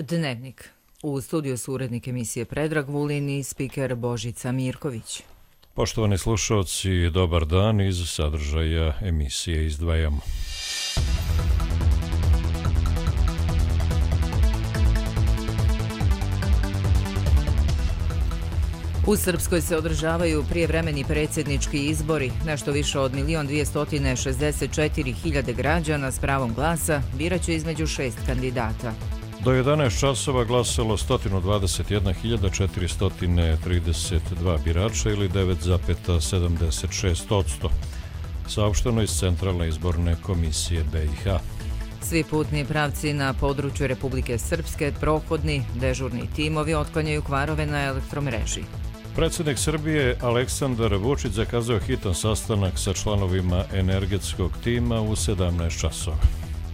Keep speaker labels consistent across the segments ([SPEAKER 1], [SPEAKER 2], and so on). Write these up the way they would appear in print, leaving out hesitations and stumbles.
[SPEAKER 1] Dnevnik. U studiju su urednik emisije Predrag Vulin i spiker Božica Mirković.
[SPEAKER 2] Poštovani slušalci, dobar dan. Iz sadržaja emisije izdvajamo.
[SPEAKER 1] U Srpskoj se održavaju prijevremeni predsjednički izbori. Nešto više od 1.264.000 građana s pravom glasa biraće između 6 kandidata.
[SPEAKER 2] Do 11 časova glasalo 121.432 birača ili 9,76%. Saopšteno iz Centralne izborne komisije BiH.
[SPEAKER 1] Svi putni pravci na području Republike Srpske prohodni, dežurni timovi otklanjaju kvarove na elektromreži.
[SPEAKER 2] Predsjednik Srbije Aleksandar Vučić zakazao hitan sastanak sa članovima energetskog tima u 17 časova.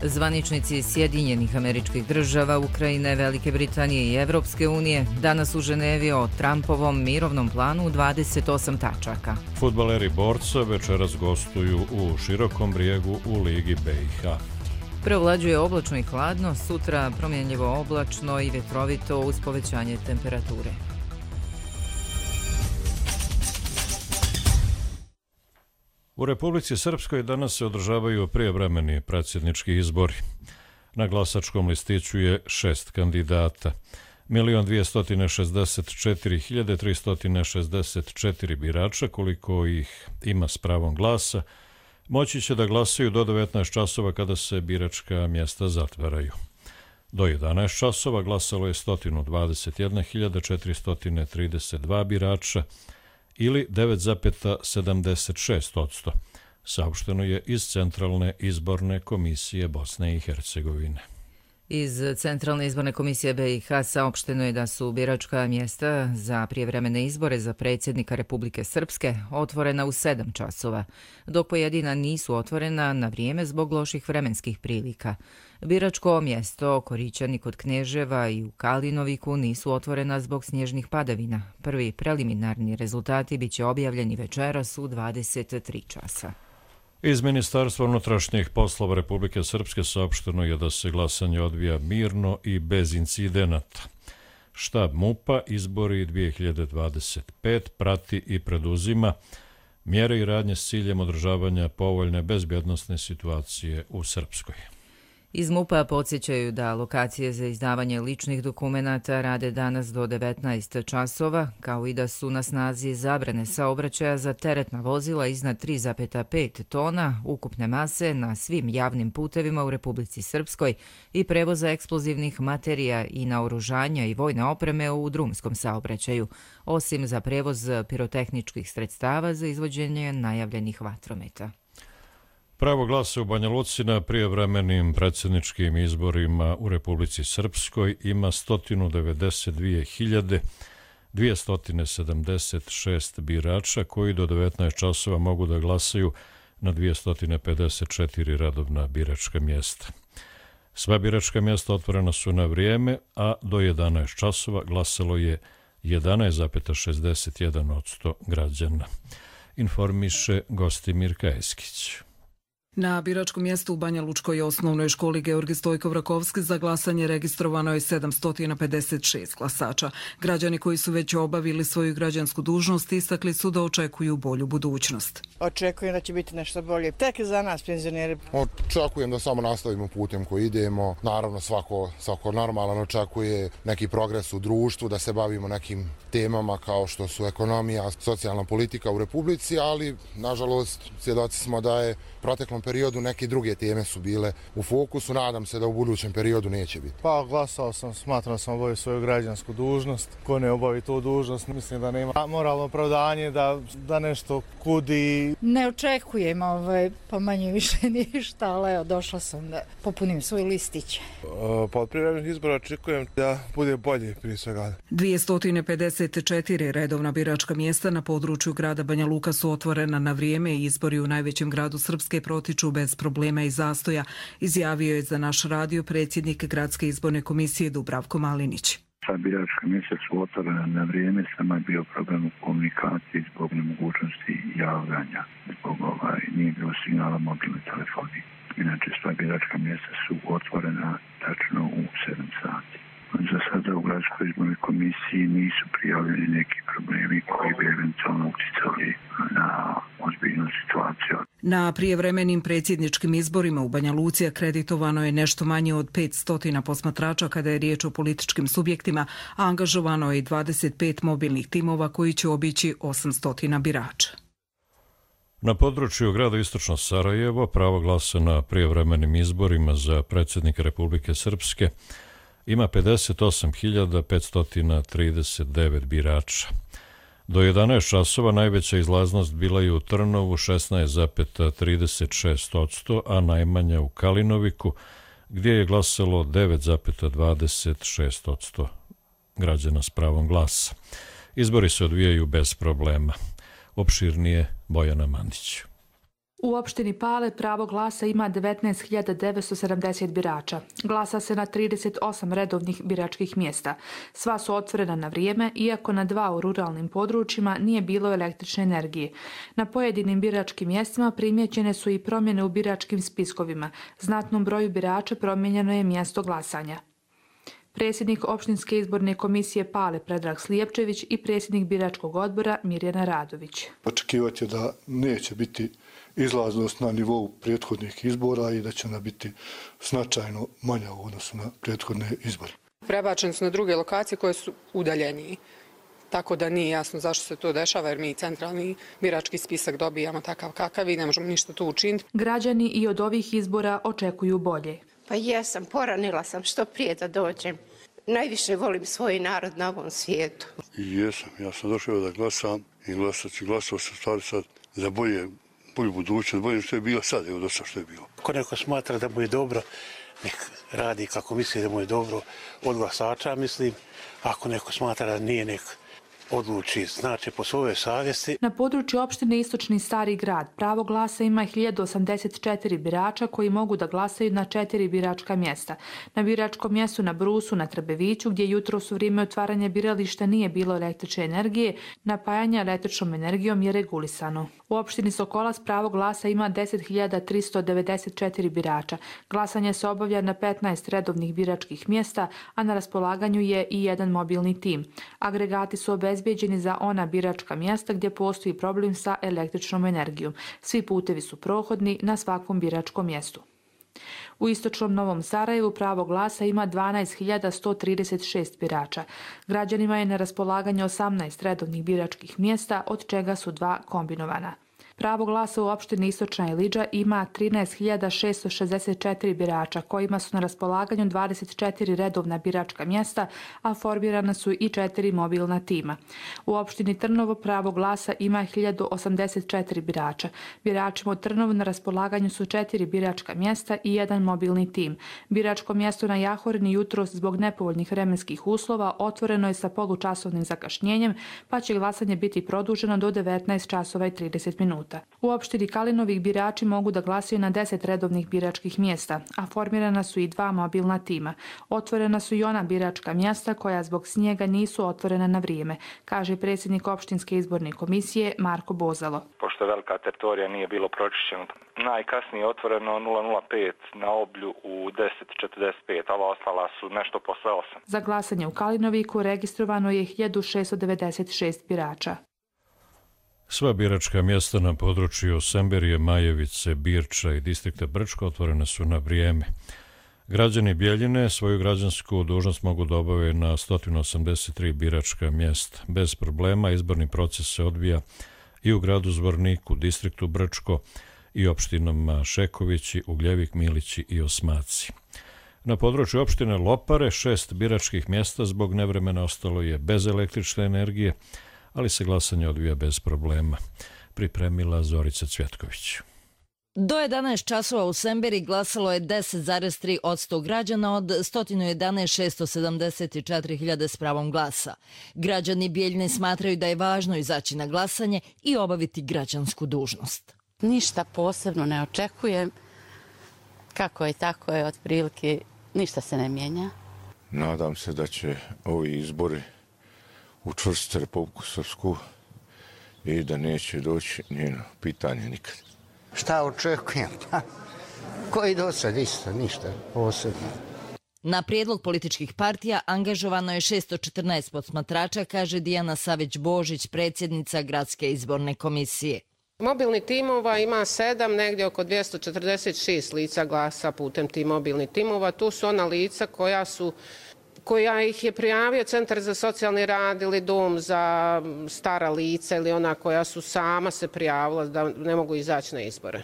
[SPEAKER 1] Zvaničnici Sjedinjenih Američkih Država, Ukrajine, Velike Britanije i Evropske unije danas u Ženevi o Trumpovom mirovnom planu 28 tačaka.
[SPEAKER 2] Fudbaleri Borca večeras gostuju u Širokom Brijegu u Ligi BiH.
[SPEAKER 1] Preovlađuje oblačno i hladno, sutra promjenljivo oblačno i vjetrovito uz povećanje temperature.
[SPEAKER 2] U Republici Srpskoj danas se održavaju prijevremeni predsjednički izbori. Na glasačkom listiću je 6 kandidata. 1.264.364 birača, koliko ih ima s pravom glasa, moći će da glasaju do 19 časova kada se biračka mjesta zatvaraju. Do 11 časova glasalo je 121.432 birača, ili 9,76%, saopšteno je iz Centralne izborne komisije Bosne i Hercegovine.
[SPEAKER 1] Iz Centralne izborne komisije BiH saopšteno je da su biračka mjesta za prijevremene izbore za predsjednika Republike Srpske otvorena u 7 časova, dok pojedina nisu otvorena na vrijeme zbog loših vremenskih prilika. Biračko mjesto Korićani kod Kneževa i u Kalinoviku nisu otvorena zbog snježnih padavina. Prvi preliminarni rezultati biće objavljeni večeras u 23 časa.
[SPEAKER 2] Iz Ministarstva unutrašnjih poslova Republike Srpske saopšteno je da se glasanje odvija mirno i bez incidenata. Štab MUP-a izbori 2025 prati i preduzima mjere i radnje s ciljem održavanja povoljne bezbjednosne situacije u Srpskoj.
[SPEAKER 1] Iz MUP-a podsjećaju da lokacije za izdavanje ličnih dokumenata rade danas do 19 časova, kao i da su na snazi zabrane saobraćaja za teretna vozila iznad 3,5 tona ukupne mase na svim javnim putevima u Republici Srpskoj i prevoza eksplozivnih materija i naoružanja i vojne opreme u drumskom saobraćaju, osim za prevoz pirotehničkih sredstava za izvođenje najavljenih vatrometa.
[SPEAKER 2] Pravo glasa u Banja Luci na prijevremenim predsjedničkim izborima u Republici Srpskoj ima 192.276 birača koji do 19 časova mogu da glasaju na 254 redovna biračka mjesta. Sva biračka mjesta otvorena su na vrijeme, a do 11 časova glasalo je 11,61% građana. Informiše Gostimir Kajeskić.
[SPEAKER 3] Na biračkom mjestu u Banja Lučkoj osnovnoj školi Georgij Stojkov-Rakovski za glasanje registrovano je 756 glasača. Građani koji su već obavili svoju građansku dužnost istakli su da očekuju bolju budućnost.
[SPEAKER 4] Očekujem da će biti nešto bolje. Tek za nas, penzioneri.
[SPEAKER 5] Očekujem da samo nastavimo putem koji idemo. Naravno, svako normalan očekuje neki progres u društvu, da se bavimo nekim temama kao što su ekonomija, socijalna politika u Republici, ali, nažalost, svjedoci smo da je proteklom periodu neke druge teme su bile u fokusu. Nadam se da u budućem periodu neće biti.
[SPEAKER 6] Pa glasao sam, smatram da sam obavio svoju građansku dužnost. Ko ne obavi tu dužnost, mislim da nema moralno opravdanje da nešto kudi.
[SPEAKER 7] Ne očekujem pa manje više ništa, ali evo, došla sam da popunim svoj listić.
[SPEAKER 6] Pod privremenih izbora očekujem da bude bolje prije svega.
[SPEAKER 3] 254 redovna biračka mjesta na području grada Banja Luka su otvorena na vrijeme i izbori u najvećem gradu Srpske protiču bez problema i zastoja, izjavio je za naš radio predsjednik Gradske izborne komisije Dubravko Malinić.
[SPEAKER 8] Sva biračka mjesta su otvorena na vrijeme, samo je bio problem u komunikaciji zbog nemogućnosti javljanja, zbog nije bilo signala mobilne telefoni. Inače, sva biračka mjesta su otvorena tačno u 7 sati. Za sada u Gradskoj izbornoj komisiji nisu prijavljeni neki problemi koji bi eventualno uticali na ozbiljnu situaciju.
[SPEAKER 3] Na prijevremenim predsjedničkim izborima u Banja Luci akreditovano je nešto manje od 500 posmatrača kada je riječ o političkim subjektima, a angažovano je i 25 mobilnih timova koji će obići 800 birača.
[SPEAKER 2] Na području grada Istočno Sarajevo pravo glasa na prijevremenim izborima za predsjednika Republike Srpske ima 58.539 birača. Do 11 časova najveća izlaznost bila je u Trnovu 16,36%, a najmanja u Kalinoviku, gdje je glasalo 9,26% građana s pravom glasa. Izbori se odvijaju bez problema. Opširnije Bojana Mandić.
[SPEAKER 9] U opštini Pale pravo glasa ima 19.970 birača. Glasa se na 38 redovnih biračkih mjesta. Sva su otvorena na vrijeme, iako na 2 u ruralnim područjima nije bilo električne energije. Na pojedinim biračkim mjestima primjećene su i promjene u biračkim spiskovima. Znatnom broju birača promijenjeno je mjesto glasanja. Predsjednik opštinske izborne komisije Pale Predrag Slijepčević i predsjednik biračkog odbora Mirjana Radović.
[SPEAKER 10] Očekivati je da neće biti izlaznost na nivou prethodnih izbora i da će ona biti značajno manja u odnosu na prethodne izbore.
[SPEAKER 11] Prebačeni su na druge lokacije koje su udaljeniji. Tako da nije jasno zašto se to dešava, jer mi centralni birački spisak dobijamo takav kakav i ne možemo ništa tu učiniti.
[SPEAKER 9] Građani i od ovih izbora očekuju bolje.
[SPEAKER 12] Pa jesam, poranila sam što prije da dođem. Najviše volim svoj narod na ovom svijetu.
[SPEAKER 10] Jesam, ja sam došao da glasam i glasao sam stvari sad za bolju budućnost, bolje što je bilo sad, evo dosta što je bilo.
[SPEAKER 13] Ako neko smatra da mu je dobro, nek radi kako misli da mu je dobro od glasača, mislim. Ako neko smatra da nije, nek odluči, znači po svojoj savjesti.
[SPEAKER 9] Na području opštine Istočni Stari grad pravo glasa ima 1084 birača koji mogu da glasaju na 4 biračka mjesta. Na biračkom mjestu na Brusu, na Trbeviću, gdje jutros u vrijeme otvaranja birališta nije bilo električne energije, napajanje električnom energijom je regulisano. U opštini Sokolac pravo glasa ima 10.394 birača. Glasanje se obavlja na 15 redovnih biračkih mjesta, a na raspolaganju je i jedan mobilni tim. Agregati su obezbijeđeni za ona biračka mjesta gdje postoji problem sa električnom energijom. Svi putevi su prohodni na svakom biračkom mjestu. U istočnom Novom Sarajevu pravo glasa ima 12.136 birača. Građanima je na raspolaganju 18 redovnih biračkih mjesta, od čega su 2 kombinovana. Pravo glasa u opštini Istočna Ilidža ima 13.664 birača, kojima su na raspolaganju 24 redovna biračka mjesta, a formirana su i 4 mobilna tima. U opštini Trnovo pravo glasa ima 1084 birača. Biračima u Trnovu na raspolaganju su 4 biračka mjesta i 1 mobilni tim. Biračko mjesto na Jahorini jutros zbog nepovoljnih vremenskih uslova otvoreno je sa polučasovnim zakašnjenjem, pa će glasanje biti produženo do 19 časova i 30 minuta. U opštini Kalinovik birači mogu da glasaju na 10 redovnih biračkih mjesta, a formirana su i 2 mobilna tima. Otvorena su i ona biračka mjesta koja zbog snijega nisu otvorena na vrijeme, kaže predsjednik opštinske izborne komisije Marko Bozalo.
[SPEAKER 14] Pošto je velika teritorija nije bilo pročišćeno, najkasnije otvoreno 005 na Oblju u 10.45, a ova ostala su nešto posle 8.
[SPEAKER 9] Za glasanje u Kalinoviku registrovano je 1696 birača.
[SPEAKER 2] Sva biračka mjesta na području Semberije, Majevice, Birča i distrikta Brčko otvorene su na vrijeme. Građani Bjeljine svoju građansku dužnost mogu da obave na 183 biračka mjesta. Bez problema izborni proces se odvija i u gradu Zvorniku, distriktu Brčko i opštinama Šekovići, Ugljevik, Milići i Osmaci. Na području opštine Lopare 6 biračkih mjesta zbog nevremena ostalo je bez električne energije, ali se glasanje odvija bez problema. Pripremila Zorica Cvjetković.
[SPEAKER 15] Do 11 časova u Semberi glasalo je 10,3% građana od 111.674.000 s pravom glasa. Građani Bijeljine smatraju da je važno izaći na glasanje i obaviti građansku dužnost.
[SPEAKER 16] Ništa posebno ne očekujem. Kako je, tako je, otprilike ništa se ne mijenja.
[SPEAKER 17] Nadam se da će ovi izbori učvrstiti Republiku Srpsku i da neće doći njeno pitanje nikad.
[SPEAKER 18] Šta očekujem? Koji do sad isto, ništa posebno.
[SPEAKER 15] Na prijedlog političkih partija angažovano je 614 posmatrača, kaže Dijana Savić-Božić, predsjednica Gradske izborne komisije.
[SPEAKER 18] Mobilnih timova ima 7, negdje oko 246 lica glasa putem tih mobilnih timova. Tu su ona lica koja ih je prijavio Centar za socijalni rad ili dom za stara lica ili ona koja su sama se prijavila da ne mogu izaći na izbore.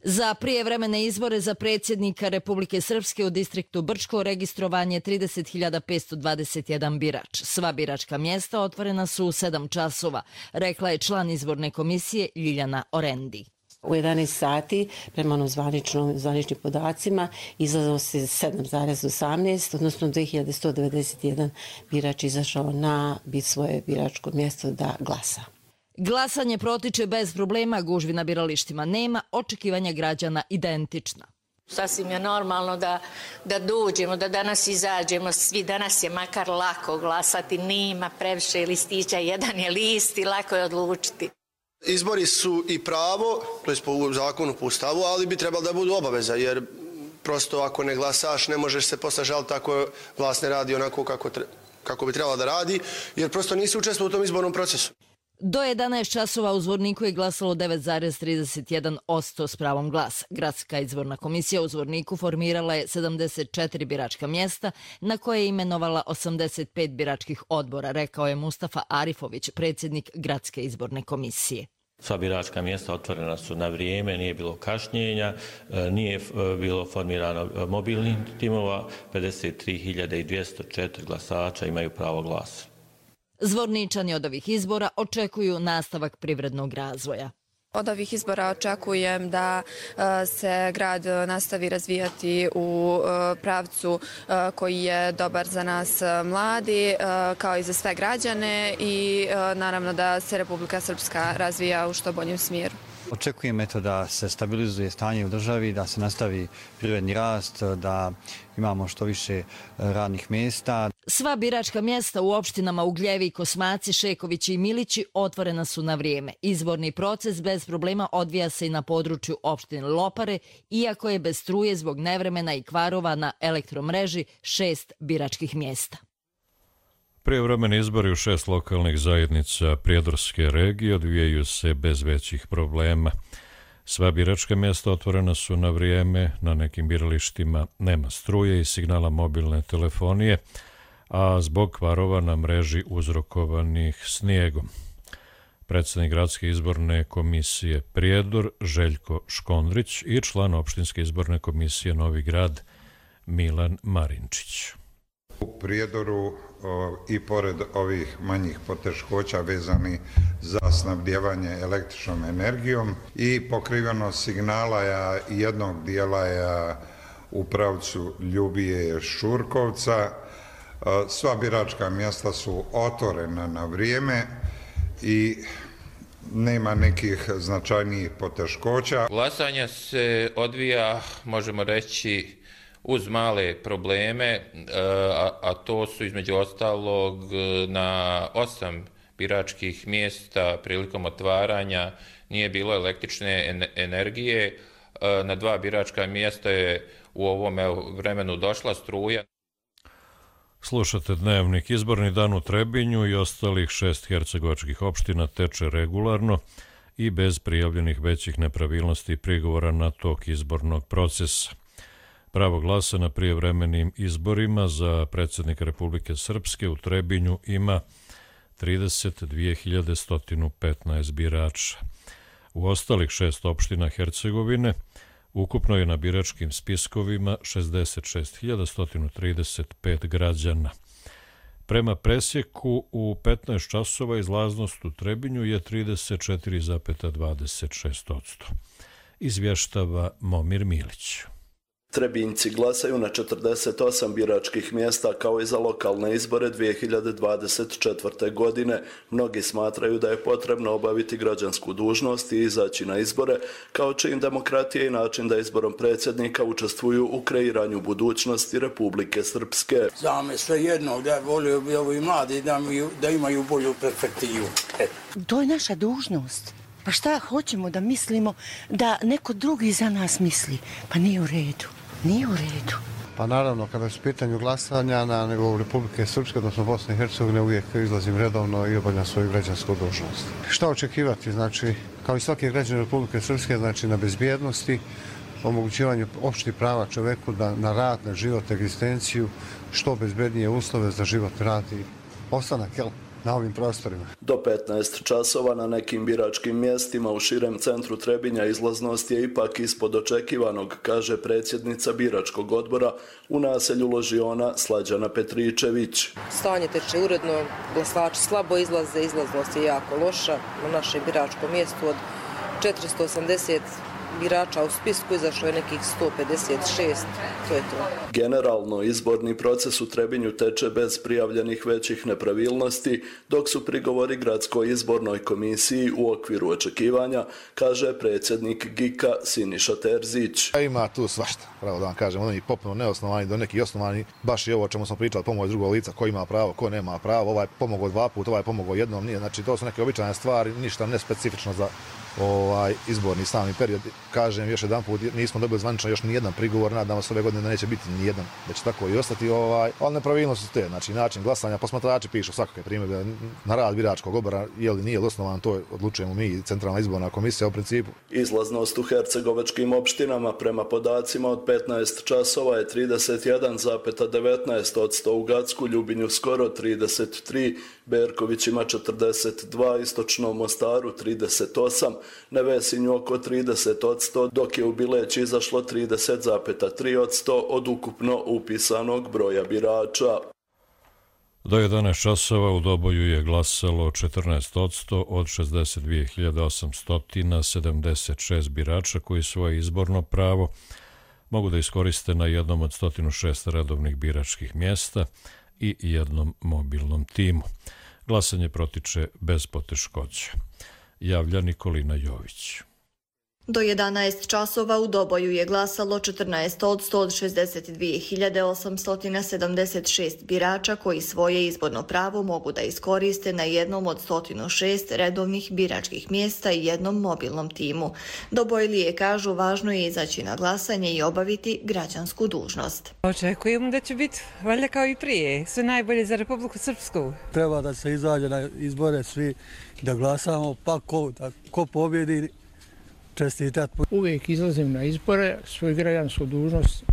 [SPEAKER 15] Za prijevremene izbore za predsjednika Republike Srpske u distriktu Brčko registrovan je 30.521 birač. Sva biračka mjesta otvorena su u 7 časova, rekla je član izborne komisije Ljiljana Orendi.
[SPEAKER 19] U 11 sati, prema zvaničnim podacima, izlazilo se 7,18, odnosno 2191 birač izašao na svoje biračko mjesto da glasa.
[SPEAKER 15] Glasanje protiče bez problema, gužvi na biralištima nema, očekivanja građana identična.
[SPEAKER 20] Sasvim je normalno da dođemo, da danas izađemo, svi danas je makar lako glasati, nema previše listića, jedan je list i lako je odlučiti.
[SPEAKER 21] Izbori su i pravo, to je po zakonu, po ustavu, ali bi trebalo da budu obaveza, jer prosto ako ne glasaš ne možeš se posle žaliti ako vlast ne radi onako kako bi trebala da radi, jer prosto nisi učestvovao u tom izbornom procesu.
[SPEAKER 15] Do 11 časova u Zvorniku je glasalo 9,31% s pravom glasa. Gradska izborna komisija u Zvorniku formirala je 74 biračka mjesta na koje je imenovala 85 biračkih odbora, rekao je Mustafa Arifović, predsjednik Gradske izborne komisije.
[SPEAKER 22] Sva biračka mjesta otvorena su na vrijeme, nije bilo kašnjenja, nije bilo formirano mobilnih timova, 53.204 glasača imaju pravo glasa.
[SPEAKER 15] Zvorničani od ovih izbora očekuju nastavak privrednog razvoja.
[SPEAKER 23] Od ovih izbora očekujem da se grad nastavi razvijati u pravcu koji je dobar za nas mladi, kao i za sve građane i naravno da se Republika Srpska razvija u što boljem smjeru.
[SPEAKER 24] Očekujem da se stabilizuje stanje u državi, da se nastavi privredni rast, da imamo što više radnih mjesta.
[SPEAKER 15] Sva biračka mjesta u opštinama Ugljevi, Kosmaci, Šekovići i Milići otvorena su na vrijeme. Izborni proces bez problema odvija se i na području opštine Lopare, iako je bez struje zbog nevremena i kvarova na elektromreži 6 biračkih mjesta.
[SPEAKER 2] Prijevremeni izbori u 6 lokalnih zajednica Prijedorske regije odvijaju se bez većih problema. Sva biračka mjesta otvorena su na vrijeme, na nekim biralištima nema struje i signala mobilne telefonije, a zbog kvarova na mreži uzrokovanih snijegom. Predsjednik Gradske izborne komisije Prijedor Željko Škondrić i član opštinske izborne komisije Novi Grad Milan Marinčić.
[SPEAKER 25] U Prijedoru i pored ovih manjih poteškoća vezani za snabdijevanje električnom energijom i pokriveno signala jednog dijela je u pravcu Ljubije Šurkovca. Sva biračka mjesta su otvorena na vrijeme i nema nekih značajnijih poteškoća.
[SPEAKER 26] Glasanje se odvija, možemo reći, uz male probleme, a to su između ostalog na 8 biračkih mjesta prilikom otvaranja nije bilo električne energije, na 2 biračka mjesta je u ovom vremenu došla struja.
[SPEAKER 2] Slušate Dnevnik. Izborni dan u Trebinju i ostalih 6 hercegovačkih opština teče regularno i bez prijavljenih većih nepravilnosti i prigovora na tok izbornog procesa. Pravo glasa na prijevremenim izborima za predsjednika Republike Srpske u Trebinju ima 32.115 birača. U ostalih 6 opština Hercegovine ukupno je na biračkim spiskovima 66.135 građana. Prema presjeku u 15 časova izlaznost u Trebinju je 34,26%. Izvještava Momir Milić.
[SPEAKER 27] Trebinjci glasaju na 48 biračkih mjesta kao i za lokalne izbore 2024. godine. Mnogi smatraju da je potrebno obaviti građansku dužnost i izaći na izbore kao čin demokratije i način da izborom predsjednika učestvuju u kreiranju budućnosti Republike Srpske.
[SPEAKER 28] Za me sve jedno, da volio bi ovi mladi da imaju bolju perspektivu.
[SPEAKER 29] To je naša dužnost. Pa šta hoćemo da mislimo da neko drugi za nas misli? Pa nije u redu. Nije u redu.
[SPEAKER 1] Pa naravno, kada su pitanju glasanja na nivou Republike Srpske, odnosno Bosne i Hercegovine, uvijek izlazim redovno i obavljam svoju građansku dužnost. Šta očekivati? Znači, kao i svaki građan Republike Srpske, znači na bezbjednosti, omogućivanju opštih prava čoveku na rad, na život, egzistenciju, što bezbednije uslove za život, rad i ostanak, na ovim prostorima.
[SPEAKER 27] Do 15 časova na nekim biračkim mjestima u širem centru Trebinja izlaznost je ipak ispod očekivanog, kaže predsjednica biračkog odbora u naselju Ložiona Slađana Petričević.
[SPEAKER 3] Stanje teče uredno, glasači slabo izlaze, izlaznost je jako loša. Na našem biračkom mjestu od 480 birača u spisku izašlo je nekih 156, to je to.
[SPEAKER 27] Generalno, izborni proces u Trebinju teče bez prijavljenih većih nepravilnosti, dok su prigovori gradskoj izbornoj komisiji u okviru očekivanja, kaže predsjednik GIK-a Siniša Terzić.
[SPEAKER 4] Ima tu svašta, pravo da vam kažem, oni potpuno neosnovani do neki osnovani, baš i ovo o čemu smo pričali, pomoć drugog lica, ko ima pravo, ko nema pravo, ovaj pomogao 2 puta, ovaj pomogao jednom, nije, znači to su neke običajne stvari, ništa nespecifično za izborni sami period. Kažem još jedan put, nismo dobili zvanično još ni jedan prigovor, nadamo se ove godine da neće biti ni jedan, da će tako i ostati, ali nepravilnosti su te, znači način glasanja, posmatrači pišu svakakve primjedbe na rad biračkog odbora, je li nije osnovan, to odlučujemo mi, Centralna izborna komisija u principu.
[SPEAKER 27] Izlaznost u hercegovačkim opštinama prema podacima od 15 časova je 31,19%, u Gacku, Ljubinju skoro 33%, Berković ima 42%, Istočnom Mostaru 38%, Nevesinju oko 30%, dok je u Bileć izašlo 30,3% od ukupno upisanog broja birača.
[SPEAKER 2] Do 11 časova u Doboju je glasalo 14% od 62.876 birača koji svoje izborno pravo mogu da iskoriste na jednom od 106 redovnih biračkih mjesta i jednom mobilnom timu. Glasanje protiče bez poteškoća. Javlja Nikolina Jović.
[SPEAKER 5] Do 11 časova u Doboju je glasalo 14% od 62.876 birača koji svoje izborno pravo mogu da iskoriste na jednom od 106 redovnih biračkih mjesta i jednom mobilnom timu. Dobojlije kažu važno je izaći na glasanje i obaviti građansku dužnost.
[SPEAKER 6] Očekujemo da će biti valjda kao i prije, sve najbolje za Republiku Srpsku.
[SPEAKER 7] Treba da se izađe na izbore svi da glasamo, pa ko pobjedi čestitat.
[SPEAKER 8] Uvijek izlazim na izbore, svoju građansku dužnost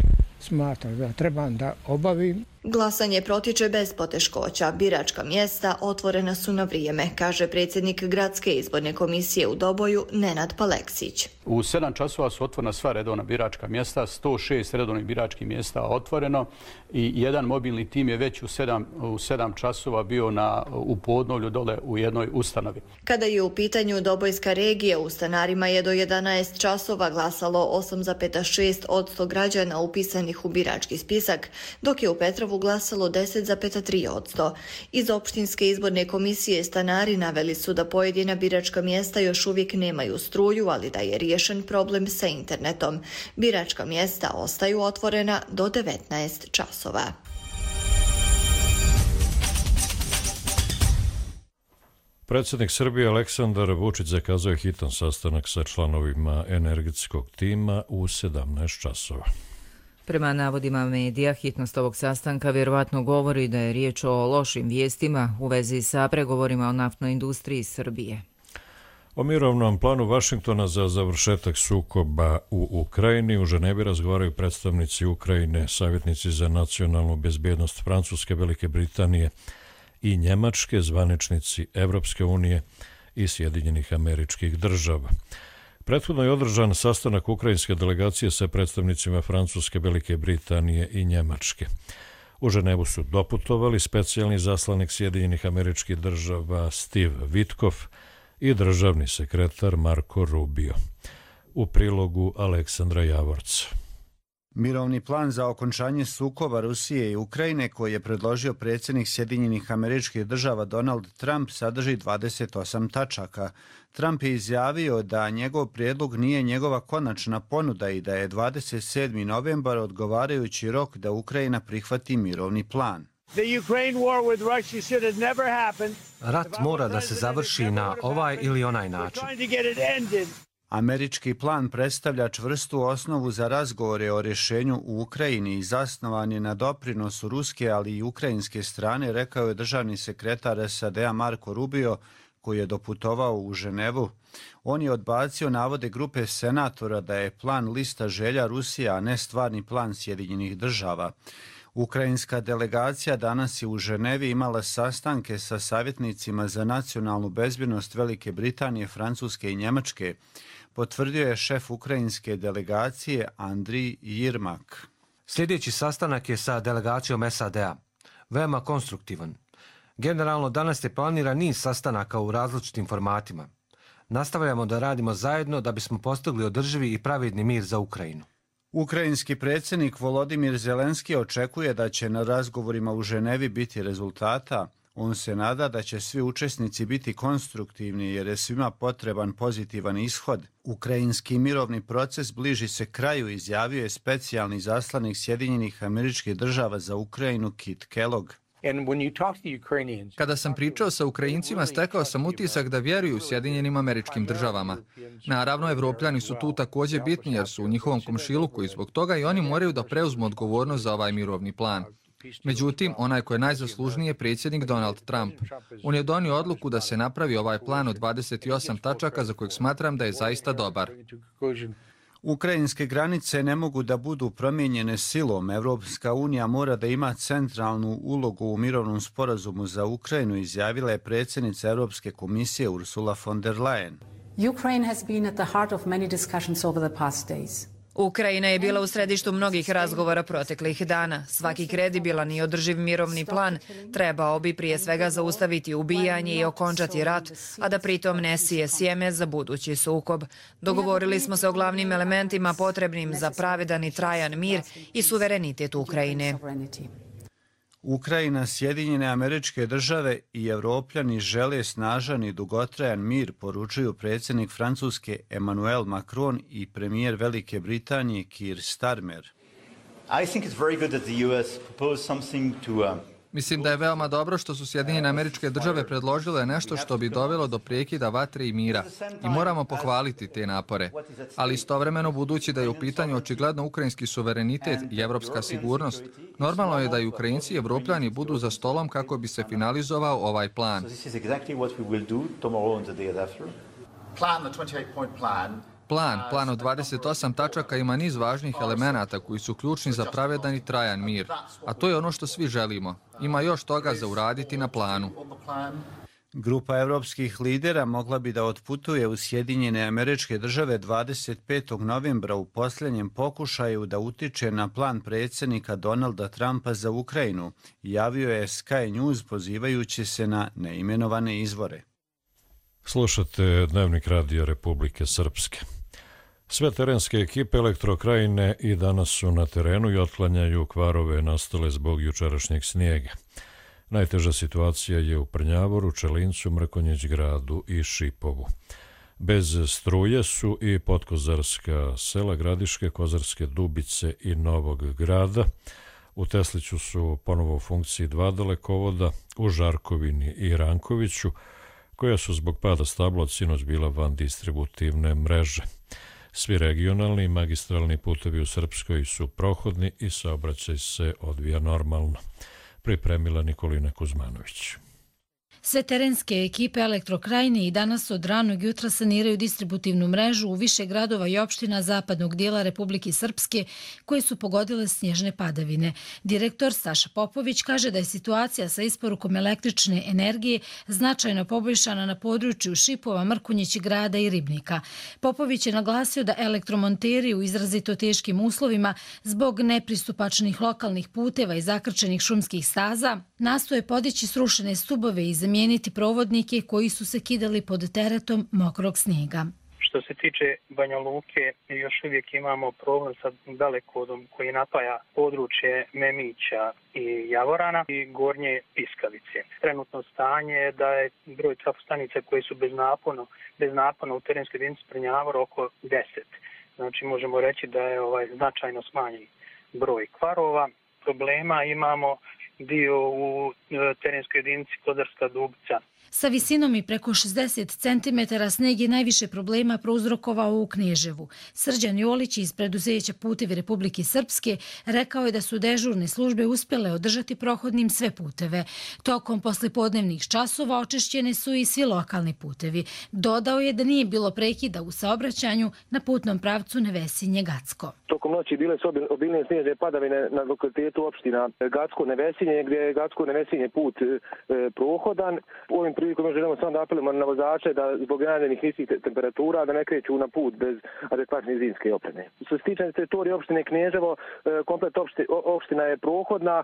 [SPEAKER 8] smatram da trebam da obavim.
[SPEAKER 5] Glasanje protiče bez poteškoća. Biračka mjesta otvorena su na vrijeme, kaže predsjednik Gradske izborne komisije u Doboju Nenad Paleksić.
[SPEAKER 11] U 7 časova su otvorena sva redovna biračka mjesta, 106 redovnih biračkih mjesta otvoreno i jedan mobilni tim je već u 7 časova bio u Podnovlju dole u jednoj ustanovi.
[SPEAKER 5] Kada je u pitanju Dobojska regija, u stanarima je do 11 časova glasalo 8,6% građana upisanih u birački spisak, dok je u Petrovu glasalo 10,3%. Iz opštinske izborne komisije stanari naveli su da pojedina biračka mjesta još uvijek nemaju struju, ali da je riješen problem sa internetom. Biračka mjesta ostaju otvorena do 19 časova.
[SPEAKER 2] Predsjednik Srbije Aleksandar Vučić zakazao je hitan sastanak sa članovima energetskog tima u 17 časova.
[SPEAKER 12] Prema navodima medija, hitnost ovog sastanka vjerovatno govori da je riječ o lošim vijestima u vezi sa pregovorima o naftnoj industriji Srbije.
[SPEAKER 2] O mirovnom planu Vašingtona za završetak sukoba u Ukrajini u Ženevi razgovaraju predstavnici Ukrajine, savjetnici za nacionalnu bezbjednost Francuske, Velike Britanije i Njemačke, zvaničnici Evropske unije i Sjedinjenih Američkih Država. Prethodno je održan sastanak ukrajinske delegacije sa predstavnicima Francuske, Velike Britanije i Njemačke. U Ženevu su doputovali specijalni zaslanik Sjedinjenih Američkih Država Steve Witkoff i državni sekretar Marko Rubio. U prilogu Aleksandra Javorca.
[SPEAKER 30] Mirovni plan za okončanje sukoba Rusije i Ukrajine koji je predložio predsjednik Sjedinjenih Američkih Država Donald Trump sadrži 28 tačaka. Trump je izjavio da njegov prijedlog nije njegova konačna ponuda i da je 27. novembar odgovarajući rok da Ukrajina prihvati mirovni plan.
[SPEAKER 31] Rat mora da se završi na ovaj ili onaj način.
[SPEAKER 30] Američki plan predstavlja čvrstu osnovu za razgovore o rješenju u Ukrajini i zasnovan je na doprinosu ruske, ali i ukrajinske strane, rekao je državni sekretar SAD-a Marco Rubio, koji je doputovao u Ženevu. On je odbacio navode grupe senatora da je plan lista želja Rusije, a ne stvarni plan Sjedinjenih država. Ukrajinska delegacija danas je u Ženevi imala sastanke sa savjetnicima za nacionalnu bezbjednost Velike Britanije, Francuske i Njemačke, potvrdio je šef ukrajinske delegacije Andrij Jirmak.
[SPEAKER 9] Sljedeći sastanak je sa delegacijom SAD-a. Veoma konstruktivan. Generalno danas je planiran niz sastanaka u različitim formatima. Nastavljamo da radimo zajedno da bismo postigli održivi i pravedni mir za Ukrajinu.
[SPEAKER 30] Ukrajinski predsjednik Volodimir Zelenski očekuje da će na razgovorima u Ženevi biti rezultata. On se nada da će svi učesnici biti konstruktivni jer je svima potreban pozitivan ishod. Ukrajinski mirovni proces bliži se kraju, izjavio je specijalni zaslanik Sjedinjenih Američkih Država za Ukrajinu Kit Kellogg.
[SPEAKER 10] Kada sam pričao sa Ukrajincima, stekao sam utisak da vjeruju Sjedinjenim Američkim Državama. Naravno, Evropljani su tu također bitni jer su u njihovom komšiluku i zbog toga i oni moraju da preuzmu odgovornost za ovaj mirovni plan. Međutim, onaj ko je najzaslužniji je predsjednik Donald Trump. On je donio odluku da se napravi ovaj plan od 28 tačaka za kojeg smatram da je zaista dobar.
[SPEAKER 30] Ukrajinske granice ne mogu da budu promijenjene silom. Evropska unija mora da ima centralnu ulogu u mirovnom sporazumu za Ukrajinu, izjavila je predsjednica Europske komisije Ursula von der Leyen.
[SPEAKER 13] Ukraine has been at the heart of many discussions over the past days.
[SPEAKER 14] Ukrajina je bila u središtu mnogih razgovora proteklih dana. Svaki kredibilan i održiv mirovni plan trebao bi prije svega zaustaviti ubijanje i okončati rat, a da pritom ne sije sjeme za budući sukob. Dogovorili smo se o glavnim elementima potrebnim za pravedan i trajan mir i suverenitet Ukrajine.
[SPEAKER 30] Ukrajina, Sjedinjene Američke Države i Evropljani žele snažan i dugotrajan mir, poručuju predsjednik Francuske Emmanuel Macron i premijer Velike Britanije Keir Starmer.
[SPEAKER 10] Mislim da je veoma dobro što su Sjedinjene Američke Države predložile nešto što bi dovelo do prekida vatre i mira i moramo pohvaliti te napore. Ali istovremeno, budući da je u pitanju očigledno ukrajinski suverenitet i evropska sigurnost, normalno je da i Ukrajinci i Evropljani budu za stolom kako bi se finalizovao ovaj plan. Plan od 28 tačaka ima niz važnih elemenata koji su ključni za pravedan i trajan mir, a to je ono što svi želimo. Ima još toga za uraditi na planu.
[SPEAKER 30] Grupa evropskih lidera mogla bi da otputuje u Sjedinjene Američke Države 25. novembra u posljednjem pokušaju da utiče na plan predsjednika Donalda Trumpa za Ukrajinu, javio je Sky News pozivajući se na neimenovane izvore.
[SPEAKER 2] Slušate Dnevnik radija Republike Srpske. Sve terenske ekipe Elektrokrajine i danas su na terenu i otklanjaju kvarove nastale zbog jučerašnjeg snijega. Najteža situacija je u Prnjavoru, Čelincu, Mrkonjić gradu i Šipovu. Bez struje su i podkozarska sela Gradiške, Kozarske Dubice i Novog grada. U Tesliću su ponovo u funkciji 2 dalekovoda, u Žarkovini i Rankoviću, koja su zbog pada stabla od sinoć bila van distributivne mreže. Svi regionalni i magistralni putevi u Srpskoj su prohodni i saobraćaj se odvija normalno. Pripremila Nikolina Kuzmanović.
[SPEAKER 16] Sve terenske ekipe Elektrokrajine i danas od ranog jutra saniraju distributivnu mrežu u više gradova i opština zapadnog dijela Republike Srpske koje su pogodile snježne padavine. Direktor Saša Popović kaže da je situacija sa isporukom električne energije značajno poboljšana na području Šipova, Mrkonjić grada i Ribnika. Popović je naglasio da elektromonteri u izrazito teškim uslovima zbog nepristupačnih lokalnih puteva i zakrčenih šumskih staza nastoje podići srušene stubove i zamijeniti provodnike koji su se kidali pod teretom mokrog snijega.
[SPEAKER 17] Što se tiče Banja Luke, još uvijek imamo problem sa dalekovodom koji napaja područje Memića i Javorana i Gornje Piskavice. Trenutno stanje je da je broj trafostanica koji su bez napona u terenskoj jedinici Prnjavor oko 10. Znači možemo reći da je značajno smanjen broj kvarova. Problema imamo dio u terenskoj jedinici Kozarska Dubica.
[SPEAKER 16] Sa visinom i preko 60 cm sneg je najviše problema prouzrokovao u Kneževu. Srđan Jolić iz preduzeća Putevi Republike Srpske rekao je da su dežurne službe uspjele održati prohodnim sve puteve. Tokom poslijepodnevnih časova očišćene su i svi lokalni putevi. Dodao je da nije bilo prekida u saobraćanju na putnom pravcu Nevesinje-Gacko.
[SPEAKER 15] Tokom noći bile su obilne snježne padavine na lokalitetu opština Gacko-Nevesinje, gdje je Gacko-Nevesinje put prohodan. U ovim prilikom želimo samo da apelujemo na vozače da zbog najavljenih niskih temperatura da ne kreću na put bez adekvatne zimske opreme. Što se tiče teritorije opštine Kneževo, komplet opština je prohodna,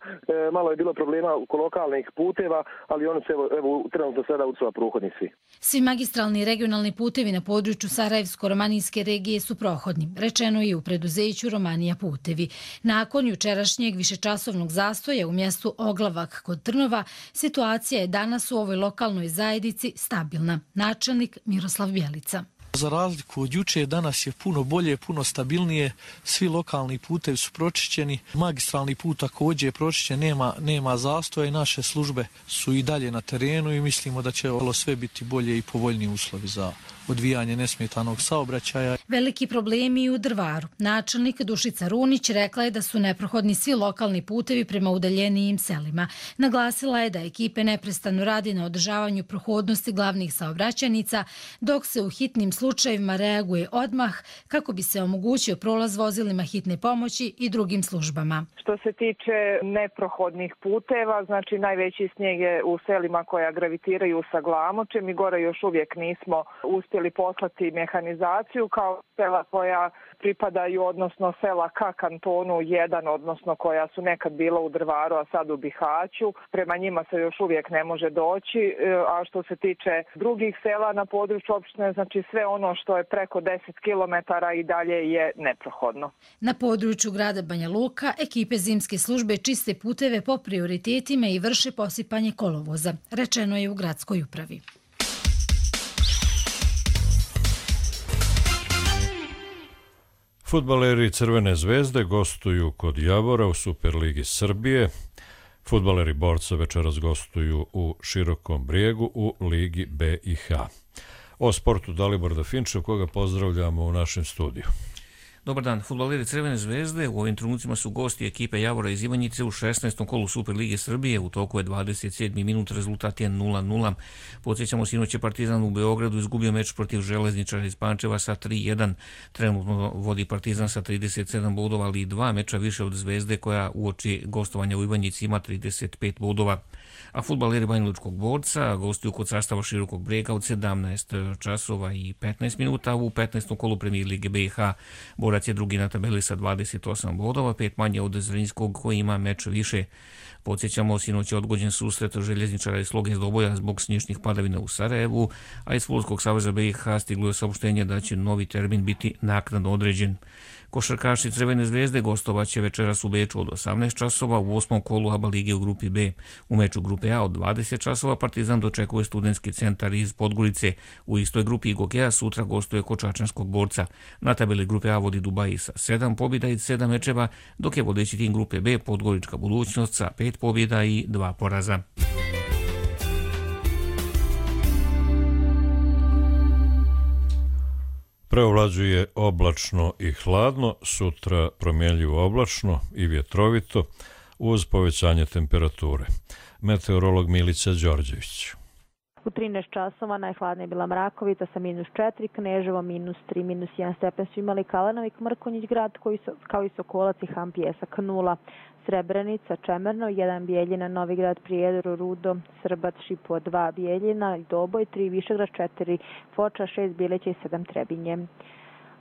[SPEAKER 15] malo je bilo problema oko lokalnih puteva, ali oni se evo trenutno sada ucova prohodni svi.
[SPEAKER 16] Svi magistralni i regionalni putevi na području Sarajevsko-romanijske regije su prohodni, rečeno je u preduzeću Romanija putevi. Nakon jučerašnjeg višečasovnog zastoja u mjestu Oglavak kod Trnova, situacija je danas u ovoj lokalnoj zajednici stabilna. Načelnik Miroslav Bjelica.
[SPEAKER 18] Za razliku od juče, danas je puno bolje, puno stabilnije, svi lokalni putevi su pročišćeni, magistralni put također je pročišćen, nema zastoja i naše službe su i dalje na terenu i mislimo da će ovo sve biti bolje i povoljniji uslovi za odvijanje nesmetanog saobraćaja.
[SPEAKER 16] Veliki problemi i u Drvaru. Načelnik Dušica Runić rekla je da su neprohodni svi lokalni putevi prema udaljenijim selima. Naglasila je da ekipe neprestano radi na održavanju prohodnosti glavnih saobraćajnica, dok se u hitnim slučajevima reaguje odmah kako bi se omogućio prolaz vozilima hitne pomoći i drugim službama.
[SPEAKER 19] Što se tiče neprohodnih puteva, znači najveći snijeg je u selima koja gravitiraju sa Glamočem i gore još uvijek nismo uspjeli poslati mehanizaciju kao sela koja pripadaju, odnosno sela ka kantonu 1, odnosno koja su nekad bila u Drvaru, a sad u Bihaću. Prema njima se još uvijek ne može doći, a što se tiče drugih sela na području opštine, znači sve ono što je preko 10 km i dalje je neprohodno.
[SPEAKER 16] Na području grada Banja Luka ekipe zimske službe čiste puteve po prioritetima i vrše posipanje kolovoza, rečeno je u gradskoj upravi.
[SPEAKER 2] Fudbaleri Crvene zvezde gostuju kod Javora u Superligi Srbije. Fudbaleri Borca večeras gostuju u Širokom Brijegu u Ligi B i H. O sportu Dalibor Dafinčev, koga pozdravljamo u našem studiju.
[SPEAKER 20] Dobar dan. Fudbaleri Crvene zvezde u ovim trenucima su gosti ekipe Javora iz Ivanjice u 16. kolu Superlige Srbije. U toku je 27. minut, rezultat je 0-0. Podsjećamo, sinoć je Partizan u Beogradu izgubio meč protiv Železničara iz Pančeva sa 3-1. Trenutno vodi Partizan sa 37 bodova, ali i 2 meča više od Zvezde koja uoči gostovanja u Ivanjici ima 35 bodova. A fudbaleri Banjalučkog Borca gostuju kod sastava Širokog Brijega od 17 časova i 15 minuta u 15. kolu Premijer Lige BiH. Borac je drugi na tabeli sa 28 bodova, 5 manje od Zrinjskog koji ima meč više. Podsjećamo, sinoć je odgođen susret Željezničara i Sloge Doboja zbog snježnih padavina u Sarajevu, a iz Fudbalskog saveza BiH stiglo je saopštenje da će novi termin biti naknadno određen. Košarkaši Crvene zvezde gostovaće večeras u Beču od 18 časova u 8. kolu ABA lige u grupi B. U meču grupe A od 20 časova Partizan dočekuje Studentski centar iz Podgorice. U istoj grupi Gokea sutra gostuje kod Čačanskog Borca. Na tabeli grupe A vodi Dubaji sa 7 pobjeda i 7 mečeva, dok je vodeći tim grupe B Podgorička budućnost sa 5 pobjeda i 2 poraza.
[SPEAKER 2] Preovlađuje oblačno i hladno, sutra promjenljivo oblačno i vjetrovito uz povećanje temperature. Meteorolog Milica Đorđević.
[SPEAKER 21] U 13 časova najhladnija je bila Mrakovica sa -4, Kneževo -3, -1 stepen su imali Kalenovik, Mrkonjić grad kao i Sokolac i Han Pjesak 0. Srebrenica, Čemerno, 1 Bijeljina, Novigrad, Prijedor, Rudo, Srbac, Šipo, 2 Bijeljina, Doboj, 3 Višegrad, 4 Foča, 6 Bileća i 7 Trebinje.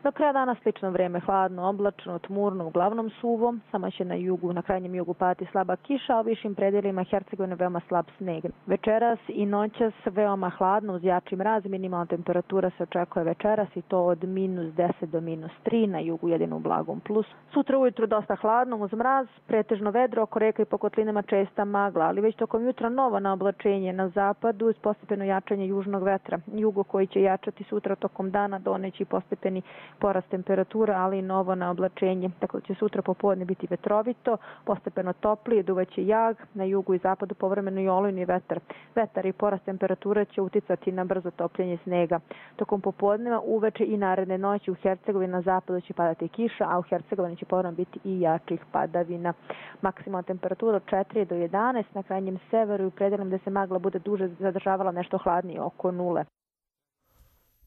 [SPEAKER 21] Do kraja dana slično vrijeme, hladno, oblačno, tmurno, uglavnom suvo, samo će na krajnjem jugu padati slaba kiša, a u višim predjelima Hercegovine veoma slab sneg. Večeras i noćas veoma hladno uz jači mraz, minimalna temperatura se očekuje večeras i to od -10 do -3, na jugu jedino u blagom plus. Sutra ujutru dosta hladno uz mraz, pretežno vedro, oko reka i po kotlinama česta magla, ali već tokom jutra novo na oblačenje na zapadu uz postepeno jačanje južnog vetra. Jugo koji će jačati sutra tokom dana doneći postepeni porast temperatura, ali i novo naoblačenje. Tako da će sutra popodne biti vetrovito, postepeno toplije, duvaće jag, na jugu i zapadu povremeno i olujni vetar. Vetar i porast temperature će uticati na brzo topljenje snega. Tokom popodneva, uveče i naredne noći u Hercegovini na zapadu će padati kiša, a u Hercegovini će povremeno biti i jačih padavina. Maksimalna temperatura od 4 do 11, na krajnjem severu i u predelima gde se magla bude duže zadržavala nešto hladnije, oko 0.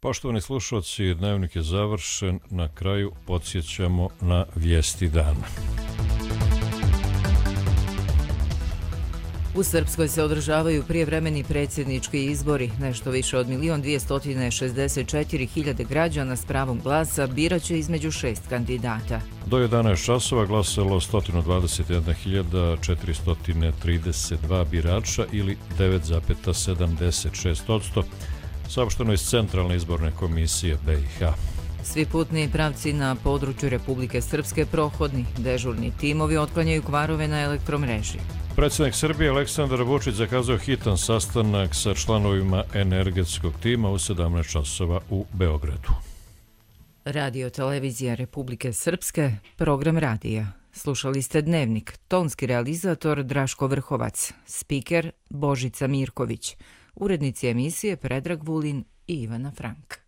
[SPEAKER 2] Poštovani slušalci, dnevnik je završen. Na kraju podsjećamo na vijesti dana.
[SPEAKER 12] U Srpskoj se održavaju prijevremeni predsjednički izbori. Nešto više od 1.264.000 građana s pravom glasa biraće između 6 kandidata.
[SPEAKER 2] Do 11 časova glasalo 121.432 birača ili 9,76%, saopšteno iz Centralne izborne komisije BiH.
[SPEAKER 12] Svi putni pravci na području Republike Srpske prohodni. Dežurni timovi otklanjaju kvarove na elektromreži.
[SPEAKER 2] Predsjednik Srbije Aleksandar Vučić zakazao hitan sastanak sa članovima energetskog tima u 17 časova u Beogradu.
[SPEAKER 12] Radio televizija Republike Srpske, program radija. Slušali ste Dnevnik, tonski realizator Draško Vrhovac, spiker Božica Mirković, urednici emisije Predrag Vulin i Ivana Frank.